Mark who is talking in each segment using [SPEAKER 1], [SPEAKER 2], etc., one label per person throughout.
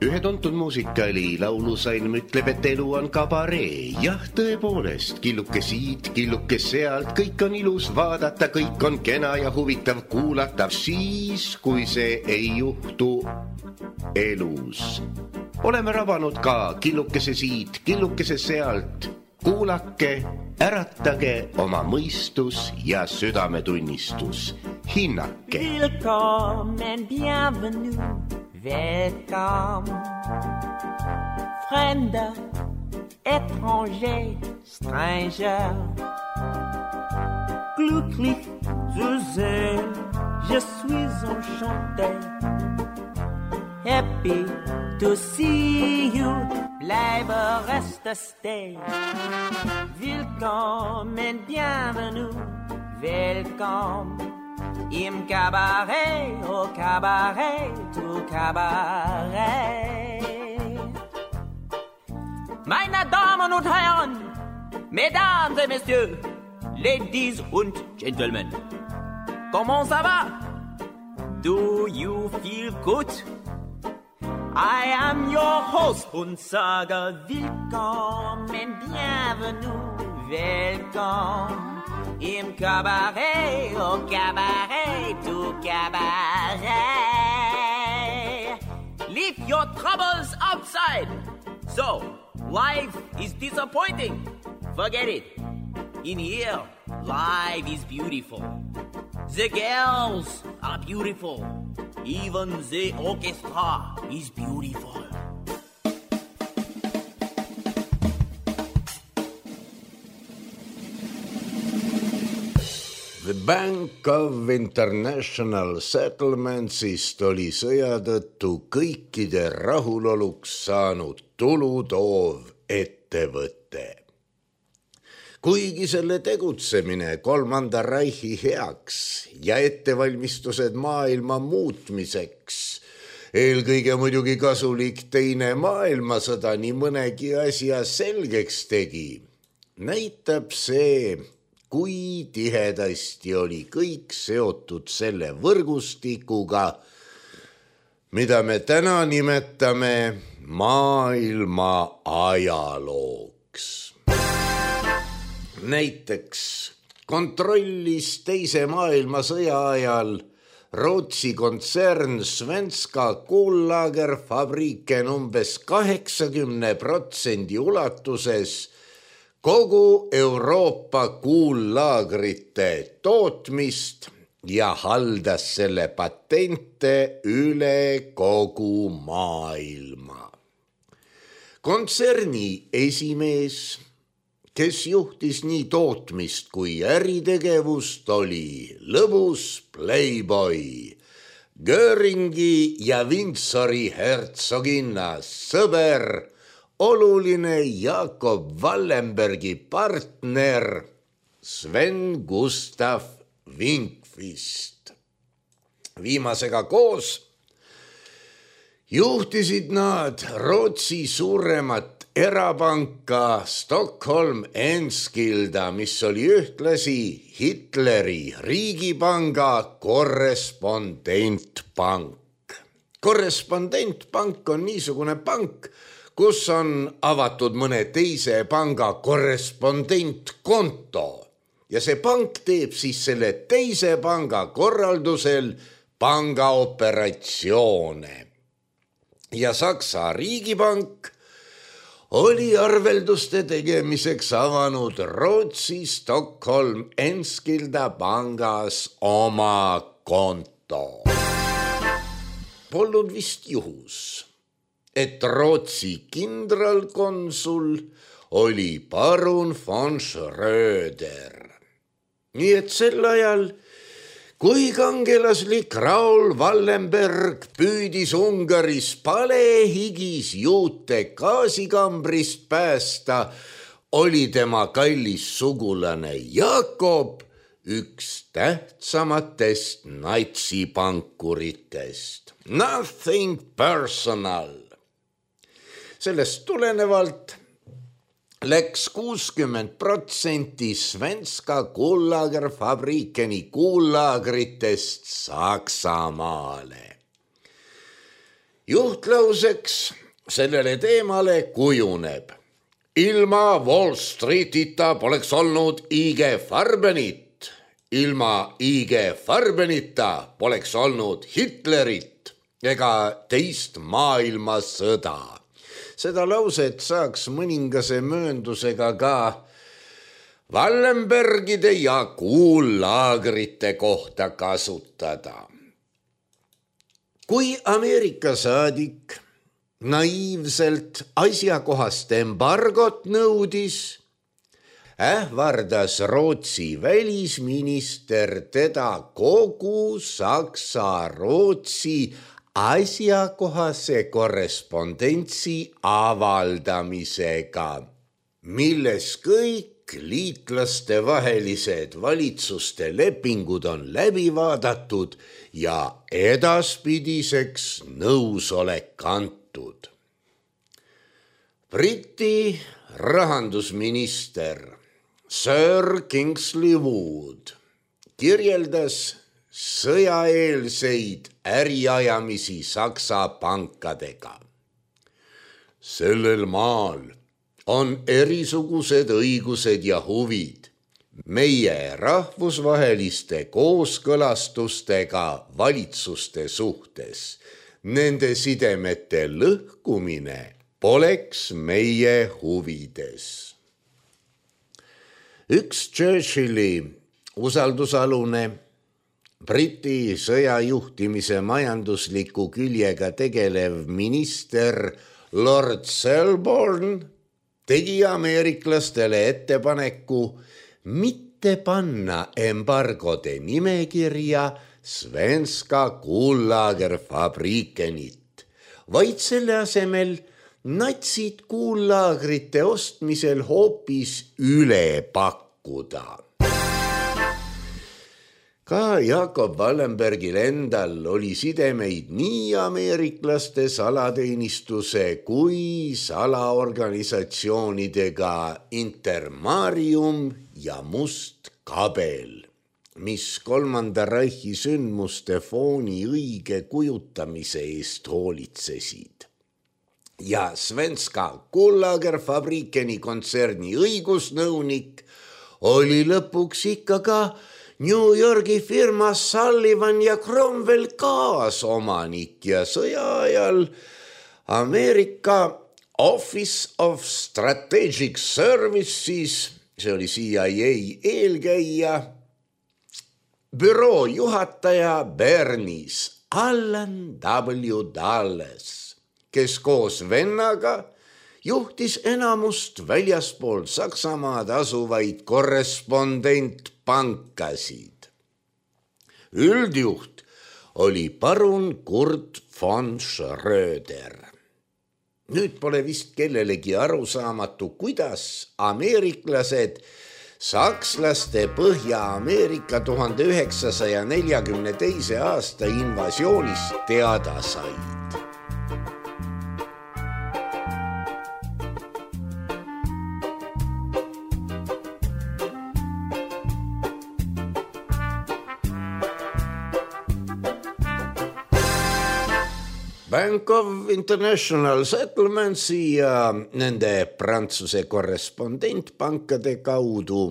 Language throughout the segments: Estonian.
[SPEAKER 1] Ühe tuntud muusikali laulusalm ütleb, et elu on kabaree. Jah, tõepoolest, killuke siit, killuke sealt, kõik on ilus vaadata, kõik on kena ja huvitav kuulata, siis kui see ei juhtu elus. Oleme rabanud ka killukese siit, killukese sealt. Kuulake, äratage oma mõistus ja südametunnistus. Hinnake.
[SPEAKER 2] Willkommen, bienvenue, welcome. Fremder, étranger, stranger. Glücklich zu sehen, je suis enchanté. Happy to see you, bleibe reste stay. Willkommen, bienvenue, welcome. Im Cabaret, au Cabaret, au Cabaret. Meine Damen und Herren, Mesdames et Messieurs, Ladies und Gentlemen, comment ça va? Do you feel good? I am your host und sage willkommen, bienvenue, welcome. Im Cabaret, au Cabaret, au Cabaret. Leave your troubles outside. So, life is disappointing. Forget it. In here, life is beautiful. The girls are beautiful. Even the orchestra is beautiful.
[SPEAKER 3] The Bank of International Settlementsist oli sõja tõttu kõikide rahuloluks saanud tulutoov ettevõte. Kuigi selle tegutsemine Kolmanda Reichi heaks ja ettevalmistused maailma muutmiseks, eelkõige muidugi kasulik teine maailmasõda nii mõnegi asja selgeks tegi, näitab see, kui tihedasti oli kõik seotud selle võrgustikuga, mida me täna nimetame maailma ajalooks. Näiteks kontrollis teise maailmasõja ajal Rootsi kontsern Svenska Kullagerfabriken umbes 80% ulatuses kogu Euroopa kuullaagrite tootmist ja haldas selle patente üle kogu maailma. Kontserni esimees, kes juhtis nii tootmist kui äritegevust, oli lõbus playboy, Göringi ja Windsori hertsoginna sõber, oluline Jakob Wallenbergi partner Sven Gustav Winkvist. Viimasega koos juhtisid nad Rootsi suuremat erapanka Stockholm Enskilda, mis oli ühtlasi Hitleri riigipanga korrespondentpank. Korrespondentpank on niisugune pank, kus on avatud mõne teise panga korrespondentkonto ja see pank teeb siis selle teise panga korraldusel pangaoperatsioone. Ja Saksa riigipank oli arvelduste tegemiseks avanud Rootsi Stockholm Enskilda pangas oma konto. Polnud vist juhus, et Rootsi kindralkonsul oli parun von Schröder. Nii et sel ajal, kui kangelaslik Raul Wallenberg püüdis Ungaris palehigis juute gaasikambrist päästa, oli tema kallis sugulane Jakob üks tähtsamatest natsipankuritest. Nothing personal. Sellest tulenevalt läks 60% Svenska Kullagerfabrikeni kuullaagritest Saksamaale. Juhtlauseks sellele teemale kujuneb: ilma Wall Streetita poleks olnud IG Farbenit, ilma IG Farbenita poleks olnud Hitlerit ega teist maailmasõda. Seda lauset saaks mõningase mööndusega ka Wallenbergide ja kuullaagrite kohta kasutada. Kui Ameerika saadik naiivselt asjakohast embargot nõudis, ähvardas Rootsi välisminister teda kogu Saksa-Rootsi asjakohase korrespondentsi avaldamisega, milles kõik liitlaste vahelised valitsuste lepingud on läbi vaadatud ja edaspidiseks nõusolek antud. Briti rahandusminister Sir Kingsley Wood kirjeldas sõjaeelseid äriajamisi Saksa pankadega. Sellel maal on erisugused õigused ja huvid. Meie rahvusvaheliste kooskõlastustega valitsuste suhtes. Nende sidemete lõhkumine poleks meie huvides. Üks Churchilli usaldusalune Briti sõjajuhtimise majandusliku küljega tegelev minister Lord Selborne tegi ameeriklastele ettepaneku mitte panna embargode nimekirja Svenska kuullagerfabrikenit, vaid selle asemel natsid kuullaagrite ostmisel hoopis üle pakkuda. Ka Jakob Wallenbergil endal oli sidemeid nii ameeriklaste salateenistuse kui salaorganisatsioonidega Intermarium ja Must Kabel, mis Kolmanda Reichi sündmuste fooni õige kujutamise eest hoolitsesid. Ja Svenska kuullagerfabrikeni kontserni õigusnõunik oli lõpuks ikka ka New Yorgi firma Sullivan ja Cromwell kaasomanik ja sõja ajal Ameerika Office of Strategic Services, see oli CIA eelkäija, büroo juhataja Bernis Allan W. Dulles, kes koos vennaga juhtis enamust väljaspool Saksamaad asuvaid korrespondentpankasid. Üldjuht oli parun Kurt von Schröder. Nüüd pole vist kellelegi arusaamatu, kuidas ameeriklased sakslaste Põhja-Ameerika 1942. aasta invasioonist teada said. Bank of International Settlementsi ja nende Prantsuse korrespondentpankade kaudu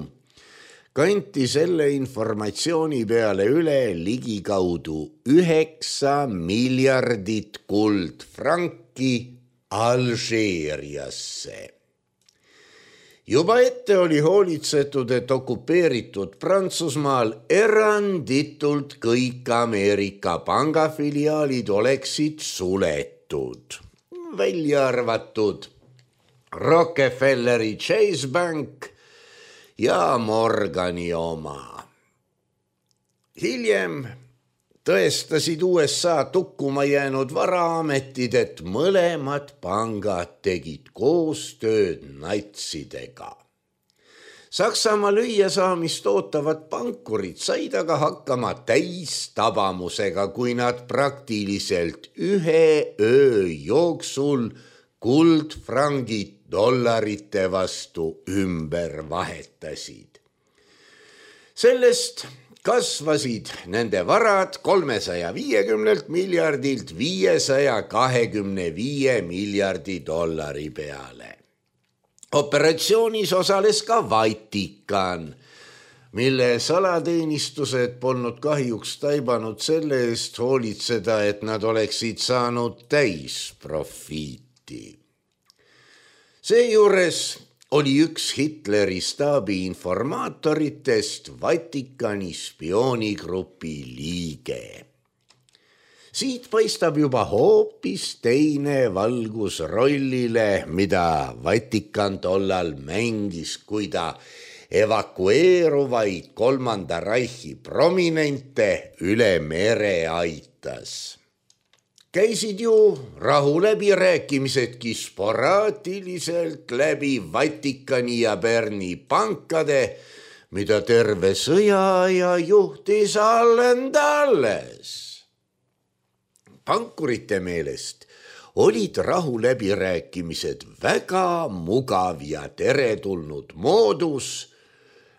[SPEAKER 3] kanti selle informatsiooni peale üle ligikaudu 9 miljardit kuldfranki Alžeeriasse. Juba ette oli hoolitsetud, et okupeeritud Prantsusmaal eranditult kõik Ameerika pangafiliaalid oleksid suletud, välja arvatud Rockefelleri Chase Bank ja Morgani oma. Hiljem tõestasid USA tukkuma jäänud varaametid, et mõlemad pangad tegid koostööd natsidega. Saksamaa lüüasaamist ootavad pankurid said aga hakkama täistabamusega, kui nad praktiliselt ühe öö jooksul kuldfrangid dollarite vastu ümber vahetasid. Sellest kasvasid nende varad 350 miljardilt 525 miljardi dollari peale. Operatsioonis osales ka Vatikan, mille salateenistused polnud kahjuks taibanud selle eest hoolitseda, et nad oleksid saanud täisprofiiti. Seejuures oli üks Hitleri staabi informaatoritest Vatikani spioonigrupi liige. Siit paistab juba hoopis teine valgus rollile, mida Vatikan tollal mängis, kui ta evakueeruvaid Kolmanda Reichi prominente üle mere aitas. Käisid ju rahuläbirääkimisedki sporaatiliselt läbi Vatikani ja Berni pankade, mida terve sõjaaja juhtis Allen Dulles. Pankurite meelest olid rahuläbirääkimised väga mugav ja teretulnud moodus,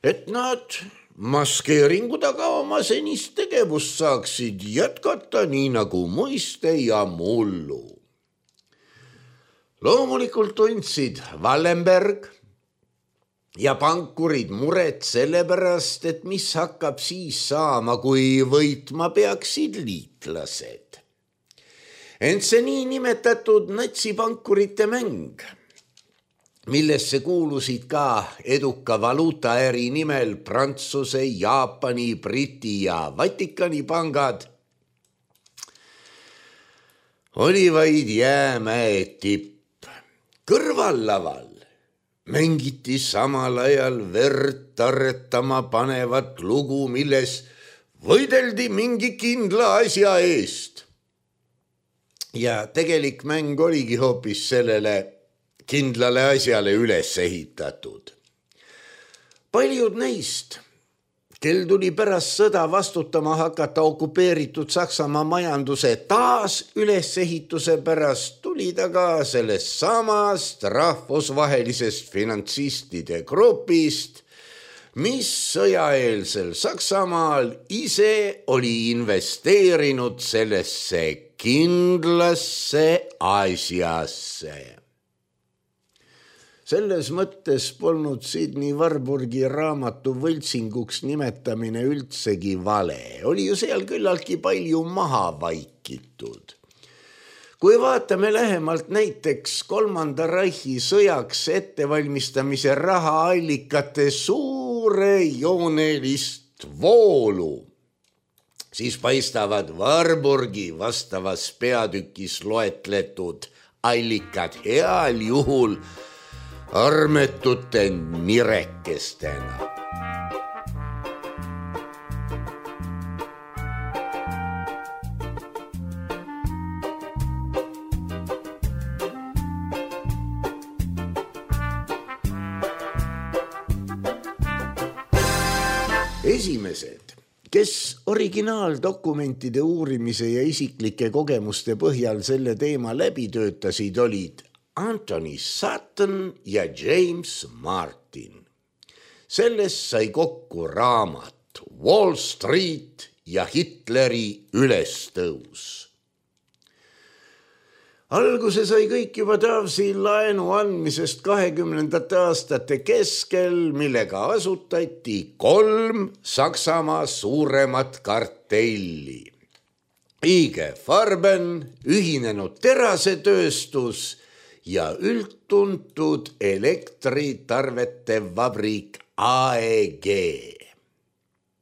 [SPEAKER 3] et nad maskeeringu taga oma senist tegevust saaksid jätkata nii nagu muiste ja mullu. Loomulikult tundsid Wallenberg ja pankurid muret sellepärast, et mis hakkab siis saama, kui võitma peaksid liitlased. Ent see nii nimetatud natsipankurite mäng, millesse kuulusid ka eduka valuutaäri nimel Prantsuse, Jaapani, Briti ja Vatikani pangad, oli vaid jäämäe tipp. Kõrvallaval mängiti samal ajal verd tarretama panevat lugu, milles võideldi mingi kindla asja eest. Ja tegelik mäng oligi hoopis sellele kindlale asjale üles ehitatud. Paljud neist, kel tuli pärast sõda vastutama hakata okupeeritud Saksamaa majanduse taas ülesehituse pärast, tulid aga sellest samast rahvusvahelisest finantsistide grupist, mis sõjaeelsel Saksamaal ise oli investeerinud sellesse kindlasse asjasse. Selles mõttes polnud Sydney Warburgi raamatu võltsinguks nimetamine üldsegi vale. Oli ju seal küllaltki palju maha vaikitud. Kui vaatame lähemalt näiteks Kolmanda Reichi sõjaks ettevalmistamise rahaallikate suurejoonelist voolu, siis paistavad Warburgi vastavas peatükis loetletud allikad heal juhul armetute nirekestena. Esimesed, kes originaaldokumentide uurimise ja isiklike kogemuste põhjal selle teema läbi töötasid, olid Anthony Sutton ja James Martin. Sellest sai kokku raamat Wall Street ja Hitleri ülestõus. Alguse sai kõik juba Davsi laenu andmisest 20. aastate keskel, millega asutati 3 Saksamaa suuremat kartelli. IG Farben, ühinenud terasetööstus ja üldtuntud elektritarvete vabrik AEG.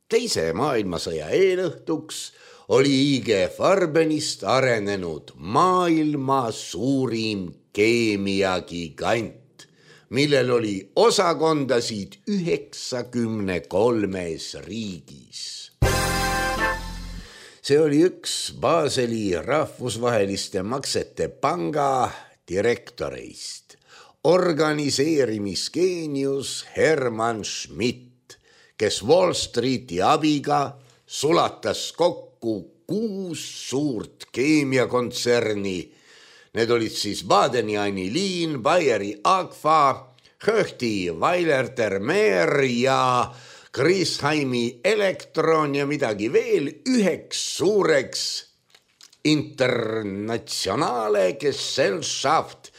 [SPEAKER 3] Teise maailmasõja eelõhtuks oli IG Farbenist arenenud maailma suurim keemiagigant, millel oli osakondasid 93 riigis. See oli üks Baseli rahvusvaheliste maksete panga direktoreist, organiseerimisgeenius Hermann Schmidt, kes Wall Streeti abiga sulatas kokku 6 suurt keemiakontserni. Need olid siis Badeni Anilin, Bayeri Agfa, Höchti Weiler Termer ja Griesheimi Elektron ja midagi veel üheks suureks internationale Gesellschaft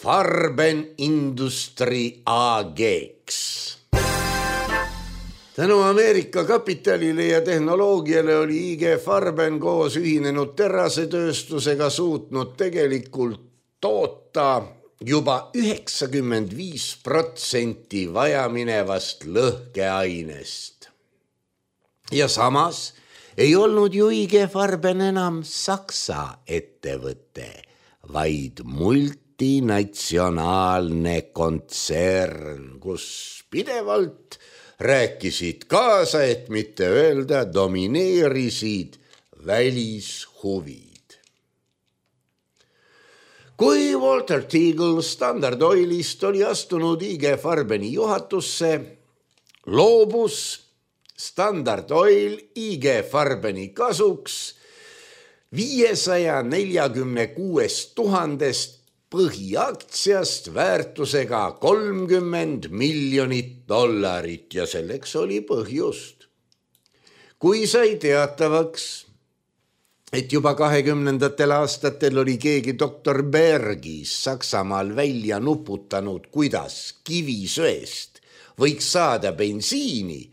[SPEAKER 3] Farbenindustrie AG-ks. Tänu Ameerika kapitalile ja tehnoloogiale oli IG Farben koos ühinenud terasetööstusega suutnud tegelikult toota juba 95% vajaminevast lõhkeainest. Ja samas ei olnud ju IG Farben enam Saksa ettevõte, vaid multinatsionaalne kontsern, kus pidevalt rääkisid kaasa, et mitte öelda domineerisid välishuvid. Kui Walter Teagle Standard Oilist oli astunud IG Farbeni juhatusse, loobus Standard Oil IG Farbeni kasuks 546 000 põhiaktsiast väärtusega $30 miljonit ja selleks oli põhjust. Kui sai teatavaks, et juba 20. aastatel oli keegi doktor Bergis Saksamaal välja nuputanud, kuidas kivisöest võiks saada bensiini,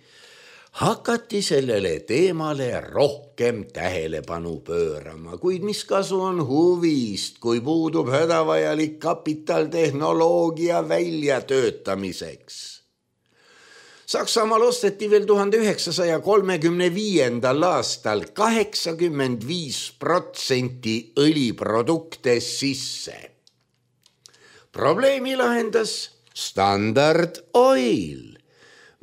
[SPEAKER 3] hakati sellele teemale rohkem tähelepanu pöörama, kuid mis kasu on huvist, kui puudub hädavajalik kapital tehnoloogia väljatöötamiseks. Saksamaal osteti veel 1935. aastal 85% õliprodukte sisse. Probleemi lahendas Standard Oil,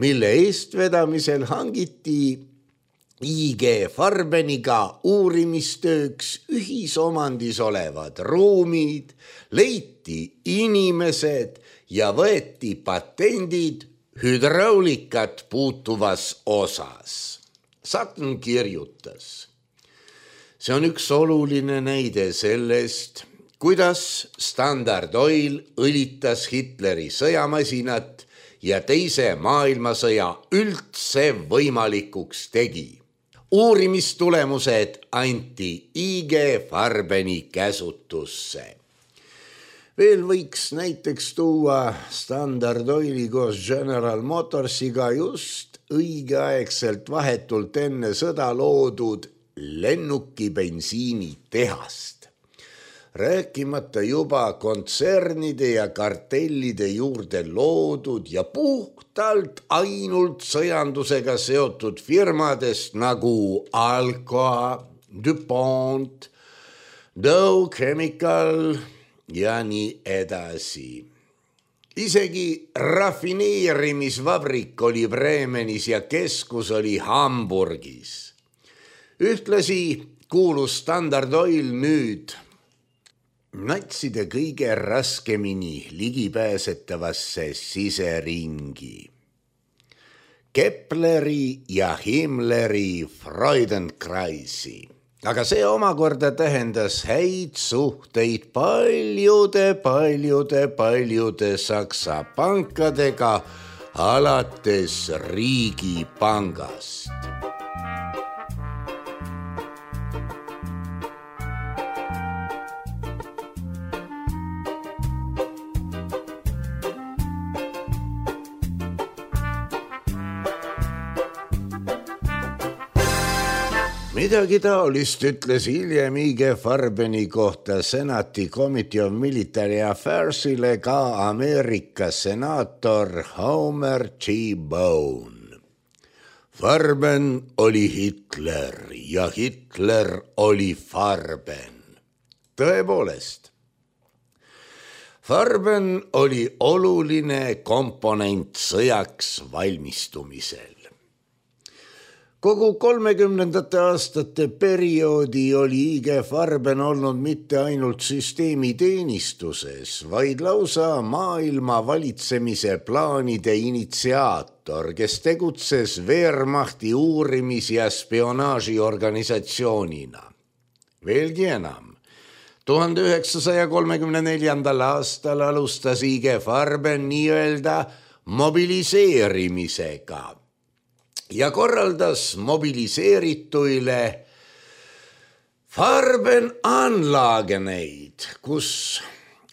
[SPEAKER 3] mille eestvedamisel hangiti IG Farbeniga uurimistööks ühisomandis olevad ruumid, leiti inimesed ja võeti patendid hüdraulikat puutuvas osas. Sutton kirjutas. See on üks oluline näide sellest, kuidas Standard Oil õlitas Hitleri sõjamasinat ja teise maailmasõja üldse võimalikuks tegi. Uurimistulemused anti IG Farbeni käsutusse. Veel võiks näiteks tuua Standard Oili koos General Motorsiga just õigeaegselt vahetult enne sõda loodud lennuki bensiinitehast. Rääkimata juba kontsernide ja kartellide juurde loodud ja puhtalt ainult sõjandusega seotud firmadest nagu Alcoa, DuPont, Dow Chemical ja nii edasi. Isegi rafineerimisvabrik oli Bremenis ja keskus oli Hamburgis. Ühtlasi kuulus Standard Oil nüüd natside kõige raskemini ligipääsetavasse siseringi. Kepleri ja Himmleri Freudenkreisi. Aga see omakorda tähendas häid suhteid paljude Saksa pankadega alates Riigipangast. Midagi taolist ütles hiljem IG Farbeni kohta Senati Committee of Military Affairsile ka Ameerika senaator Homer G. Bone. Farben oli Hitler ja Hitler oli Farben. Tõepoolest, Farben oli oluline komponent sõjaks valmistumisel. Kogu 30. aastate perioodi oli IG Farben olnud mitte ainult süsteemi teenistuses, vaid lausa maailma valitsemise plaanide initsiaator, kes tegutses Wehrmachti uurimis- ja spionaažiorganisatsioonina. Veelgi enam, 1934. aastal alustas IG Farben nii-öelda mobiliseerimisega. ja korraldas mobiliseerituile Farbenanlageneid, kus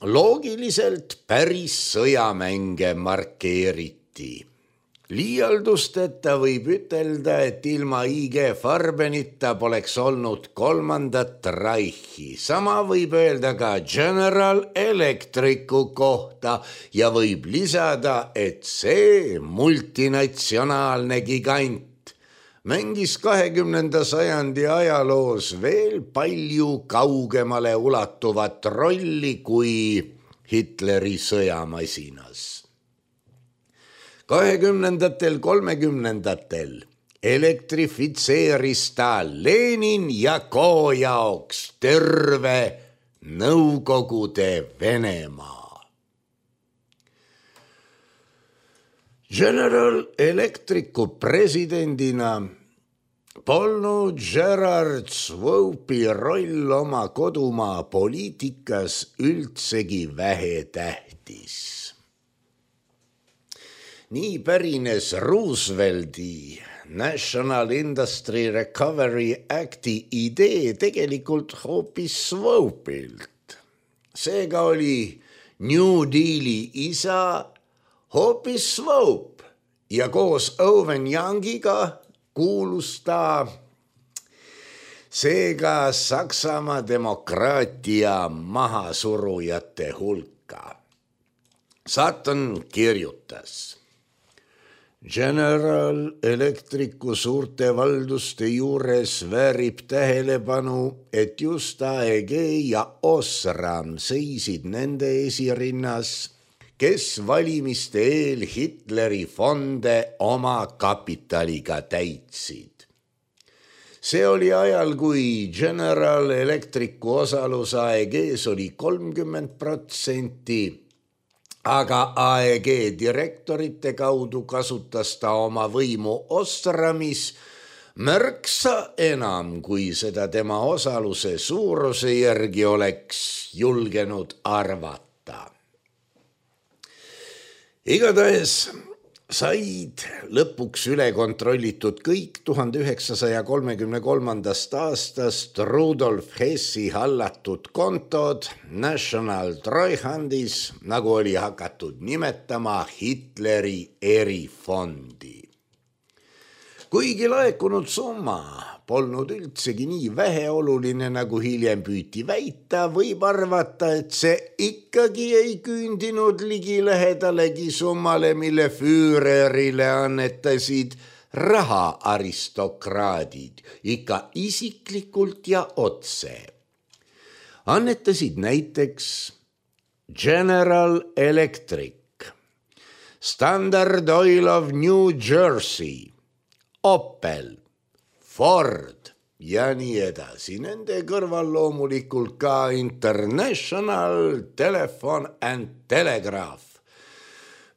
[SPEAKER 3] loogiliselt päris sõjamänge markeeriti. Liialdusteta võib ütelda, et ilma IG Farbenita poleks olnud kolmandat Reichi. Sama võib öelda ka General Electricu kohta ja võib lisada, et see multinatsionaalne gigant mängis 20. sajandi ajaloos veel palju kaugemale ulatuvat rolli kui Hitleri sõjamasinas. 20. 30. elektrifitseeris ta Lenin ja Ko jaoks terve Nõukogude Venemaa. General Electricu presidendina polnud Gerard Swope'i roll oma kodumaa poliitikas üldsegi vähetähtis. Nii pärines Roosevelti National Industry Recovery Acti idee tegelikult hoopis Swope'ilt. Seega oli New Deali isa hoopis Swope ja koos Owen Youngiga kuulus ta seega Saksamaa demokraatia mahasurujate hulka. Sutton kirjutas: General Electricu suurte valduste juures väärib tähelepanu, et just AEG ja Osram seisid nende esirinnas, kes valimiste eel Hitleri fonde oma kapitaliga täitsid. See oli ajal, kui General Electricu osalus AEG-s oli 30%, aga AEG direktorite kaudu kasutas ta oma võimu Osramis märksa enam, kui seda tema osaluse suuruse järgi oleks julgenud arvata. Igatahes said lõpuks üle kontrollitud kõik 1933. aastast Rudolf Hessi hallatud kontod National Treuhandis, nagu oli hakatud nimetama Hitleri erifondi. Kuigi laekunud summa polnud üldsegi nii väheoluline, nagu hiljem püüti väita, võib arvata, et see ikkagi ei küündinud ligilähedalegi summale, mille Führerile annetasid rahaaristokraadid, ikka isiklikult ja otse. Annetasid näiteks General Electric, Standard Oil of New Jersey, Opel, Ford ja nii edasi. Nende kõrval loomulikult ka International Telephone and Telegraph,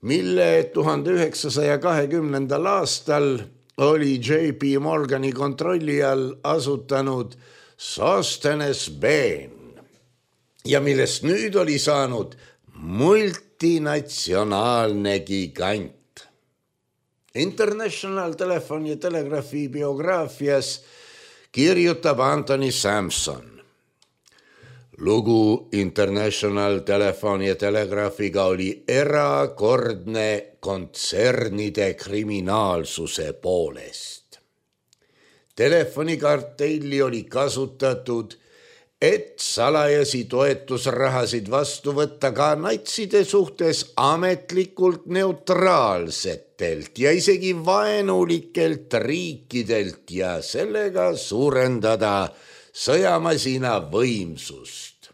[SPEAKER 3] mille 1920. aastal oli J.P. Morgani kontrolli all asutanud Sosthenes Bain ja millest nüüd oli saanud multinatsionaalne gigant. International Telephone ja Telegraphi biograafias kirjutab Anthony Sampson. Lugu International Telephone ja Telegraphiga oli erakordne kontsernide kriminaalsuse poolest. Telefonikartelli oli kasutatud, et salajasi toetusrahasid vastu võtta ka natside suhtes ametlikult neutraalsetelt ja isegi vaenulikelt riikidelt ja sellega suurendada sõjamasina võimsust.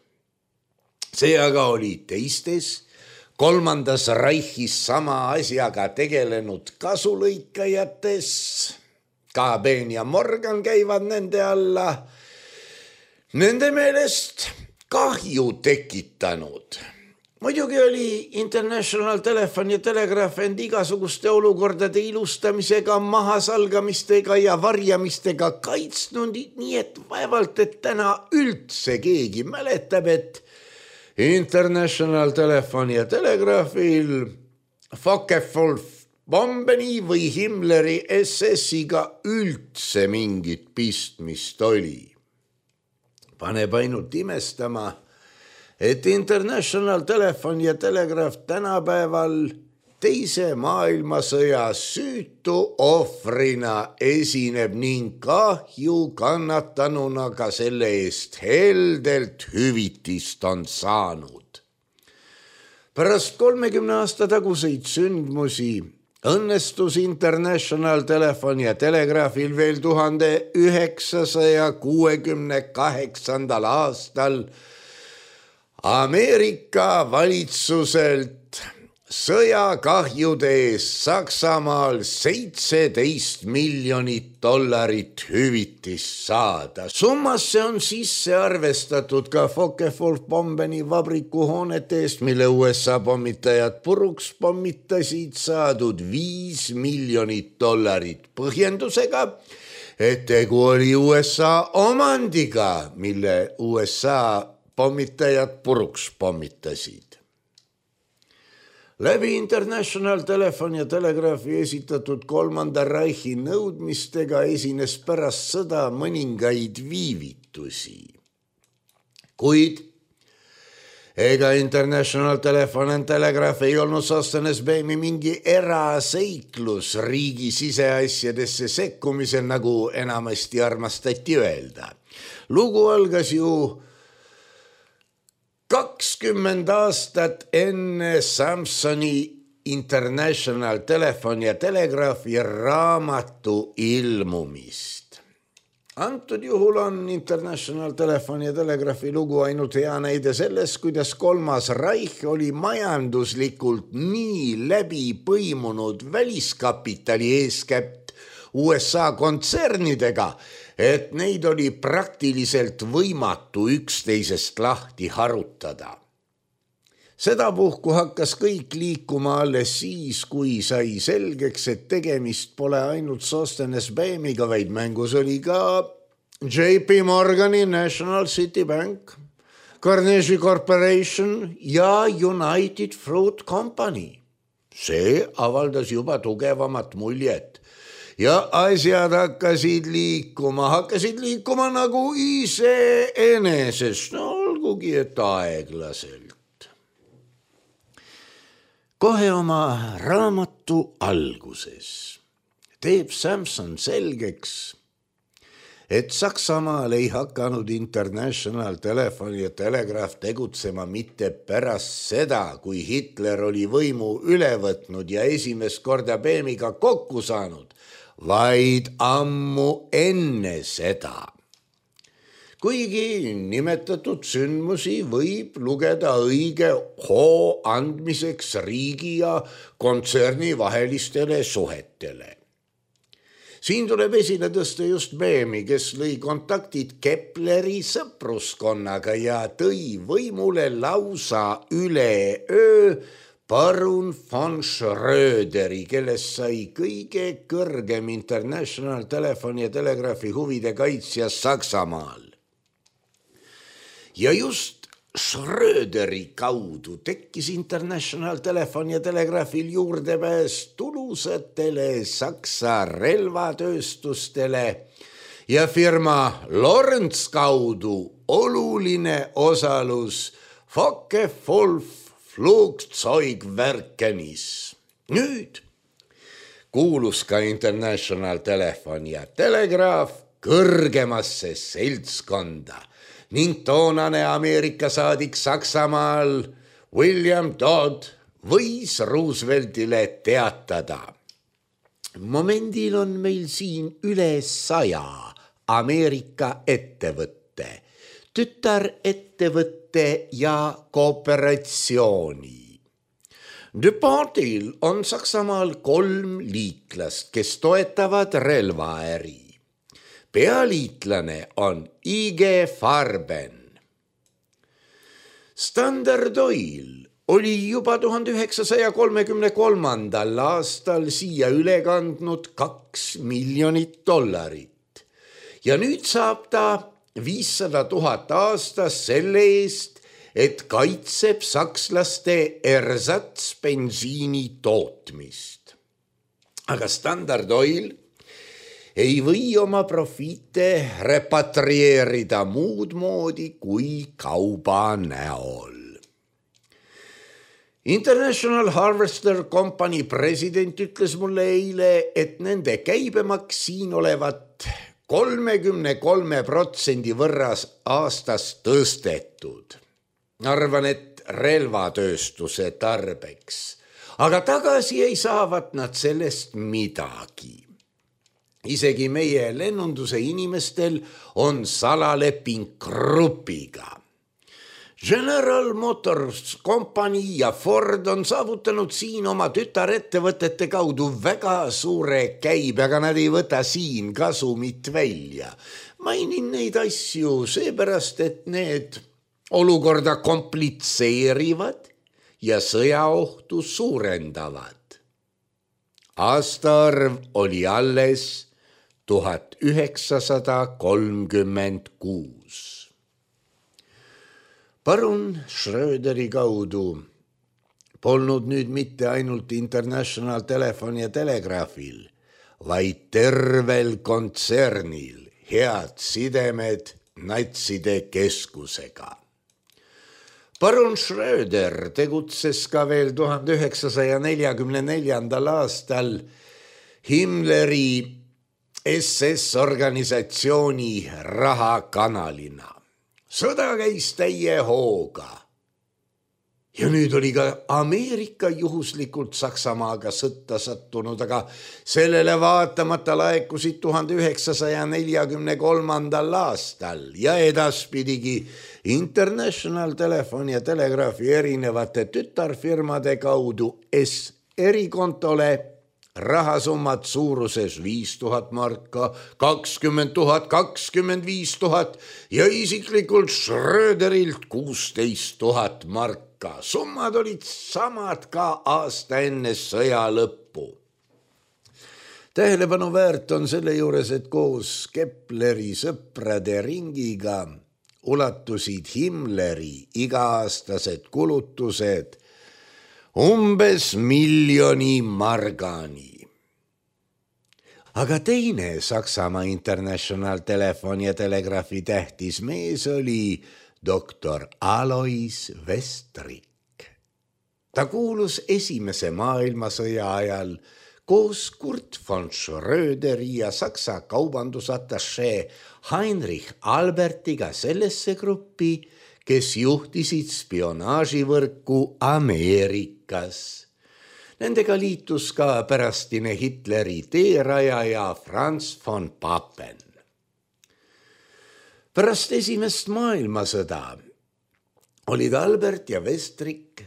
[SPEAKER 3] See aga oli teistes, kolmandas Reichis sama asjaga tegelenud kasulõikajates, ka Bain ja Morgan käivad nende alla, nende meelest kahju tekitanud. Muidugi oli International Telephone ja Telegraph end igasuguste olukordade ilustamisega, mahasalgamistega ja varjamistega kaitsnud, nii et vaevalt, et täna üldse keegi mäletab, et International Telephone ja Telegraphil Focke-Wulf Bombeni või Himmleri SS-iga üldse mingit pistmist oli. Paneb ainult imestama, et International Telefon ja Telegraaf tänapäeval teise maailmasõja süütu ohvrina esineb ning kahju kannatanuna ka selle eest heldelt hüvitist on saanud. Pärast 30 aasta taguseid sündmusi õnnestus International Telefon ja Telegraafil veel 1968. aastal Ameerika valitsuselt sõjakahjude eest Saksamaal $17 miljonit hüvitist saada. Summasse on sisse arvestatud ka Focke-Wulf-Bombeni vabriku hoonete eest, mille USA pommitajad puruks pommitasid, saadud $5 miljonit põhjendusega, et tegu oli USA omandiga, mille USA pommitajad puruks pommitasid. Läbi International Telefon ja Telegraafi esitatud Kolmanda Reichi nõudmistega esines pärast sõda mõningaid viivitusi. Kuid ega International Telefon ja Telegraaf ei olnud Sostenes-Beemi mingi eraseiklus riigi siseasjadesse sekkumisel, nagu enamasti armastati öelda. Lugu algas ju 20 aastat enne Samsoni International Telefon ja Telegraafi raamatu ilmumist. Antud juhul on International Telefon ja Telegraafi lugu ainult hea näide sellest, kuidas Kolmas Reich oli majanduslikult nii läbi põimunud väliskapitali eeskätt USA kontsernidega, et neid oli praktiliselt võimatu üksteisest lahti harutada. Sedapuhku hakkas kõik liikuma alles siis, kui sai selgeks, et tegemist pole ainult Sostenes-Beemiga, vaid mängus oli ka JP Morgani National City Bank, Carnegie Corporation ja United Fruit Company. See avaldas juba tugevamat muljet. Ja asjad hakkasid liikuma nagu iseenesest, no olgugi et aeglaselt. Kohe oma raamatu alguses teeb Samson selgeks, et Saksamaal ei hakanud International Telefon ja Telegraaf tegutsema mitte pärast seda, kui Hitler oli võimu üle võtnud ja esimest korda Beemiga kokku saanud, vaid ammu enne seda. Kuigi nimetatud sündmusi võib lugeda õige hoo andmiseks riigi ja kontserni vahelistele suhetele. Siin tuleb esile tõsta just Beemi, kes lõi kontaktid Kepleri sõpruskonnaga ja tõi võimule lausa üleöö parun von Schröderi, kellest sai kõige kõrgem International Telefon ja Telegraafi huvide kaitsja Saksamaal. Ja just Schröderi kaudu tekkis International Telefon ja Telegraafil juurdepääs tulusatele Saksa relvatööstustele ja firma Lorentz kaudu oluline osalus Focke-Wulf Flugzeugwerkenis. Nüüd kuulus ka International Telefon ja Telegraaf kõrgemasse seltskonda ning toonane Ameerika saadik Saksamaal William Dodd võis Rooseveltile teatada. Momendil on meil siin üle 100 Ameerika ettevõtte, tütarettevõtte ja kooperatsiooni. DuPontil on Saksamaal 3 liitlast, kes toetavad relvaäri. Pealiitlane on IG Farben. Standard Oil oli juba 1933. aastal siia üle kandnud $2 miljonit ja nüüd saab ta 500 000 aastas selle eest, et kaitseb sakslaste ersatsbensiini tootmist. aga Standard Oil ei või oma profiite repatrieerida muud moodi kui kauba näol. International Harvester Company president ütles mulle eile, et nende käibemaks siin olevat 33% võrras aastas tõstetud. Arvan, et relvatööstuse tarbeks, aga tagasi ei saavat nad sellest midagi. Isegi meie lennunduse inimestel on salaleping grupiga. General Motors Company ja Ford on saavutanud siin oma tütarettevõtete kaudu väga suure käibe, aga nad ei võta siin kasumit välja. Mainin neid asju seepärast, et need olukorda komplitseerivad ja sõjaohtu suurendavad. Aastaarv oli alles 1936. Parun Schröderi kaudu polnud nüüd mitte ainult International Telefon ja Telegraafil, vaid tervel kontsernil head sidemed natside keskusega. Parun Schröder tegutses ka veel 1944. aastal Himmleri SS-organisatsiooni rahakanalina. Sõda käis täie hooga. Ja nüüd oli ka Ameerika juhuslikult Saksamaaga sõtta sattunud, aga sellele vaatamata laekusid 1943. aastal ja edaspidigi International Telefon ja Telegraafi erinevate tütarfirmade kaudu erikontole rahasummad suuruses 5000 marka, 20 000, 25 000 ja isiklikult Schröderilt 16 000 marka. Summad olid samad ka aasta enne sõja lõppu. Tähelepanu väärt on selle juures, et koos Kepleri sõprade ringiga ulatusid Himmleri iga-aastased kulutused umbes 1 miljoni margani. Aga teine Saksamaa International Telefon ja Telegraafi tähtis mees oli doktor Alois Westrik. Ta kuulus Esimese maailmasõja ajal koos Kurt von Schröderi ja Saksa kaubandusatašee Heinrich Albertiga sellesse gruppi, kes juhtisid spionaaživõrku Ameerikas. Nendega liitus ka pärastine Hitleri teerajaja Franz von Papen. Pärast Esimest maailmasõda olid Albert ja Westrik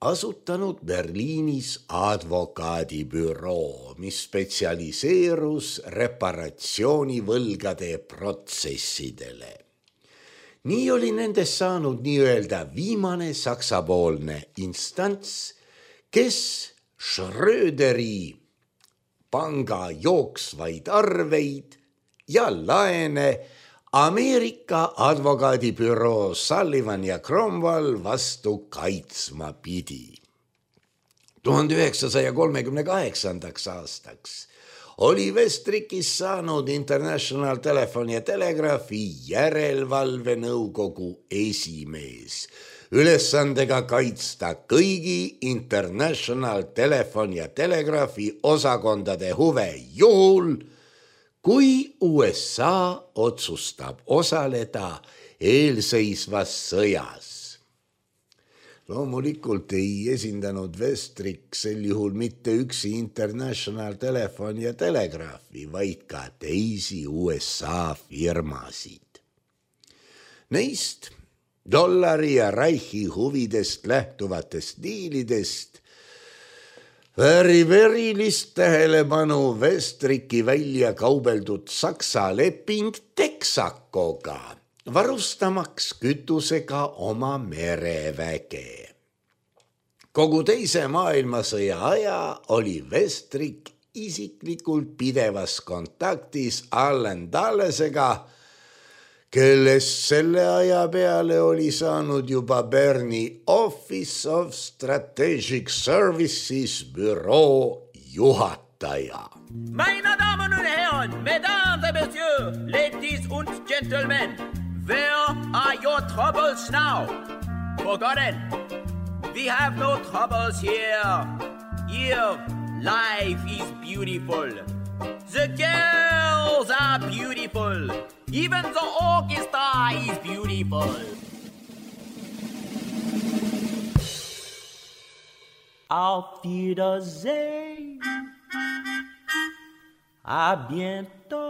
[SPEAKER 3] asutanud Berliinis advokaadibüroo, mis spetsialiseerus reparatsioonivõlgade protsessidele. Nii oli nendest saanud nii-öelda viimane saksapoolne instants, kes Schröderi panga jooksvaid arveid ja laene Ameerika advokaadibüroo Sullivan ja Cromwell vastu kaitsma pidi. 1938. aastaks oli Westrikis saanud International Telefon ja Telegraafi järelevalvenõukogu esimees, ülesandega kaitsta kõigi International Telefon ja Telegraafi osakondade huve juhul, kui USA otsustab osaleda eelseisvas sõjas. Loomulikult ei esindanud Westrik sel juhul mitte üksi International Telefon ja Telegraafi, vaid ka teisi USA firmasid. Neist dollari ja Reichi huvidest lähtuvatest diilidest väärib erilist tähelepanu Westriki välja kaubeldud Saksa leping Texacoga, varustamaks kütusega oma mereväge. Kogu teise maailmasõja aja oli Westrik isiklikult pidevas kontaktis Allen Dullesega, kellest selle aja peale oli saanud juba Berni Office of Strategic Services büroo juhataja. juhataja.
[SPEAKER 2] Meine Damen und Herren, Mesdames et Messieurs, Ladies und Gentlemen, where are your troubles now? Forgotten. We have no troubles here. Here, life is beautiful. The girls are beautiful. Even the orchestra is beautiful. Auf Wiedersehen. À bientôt.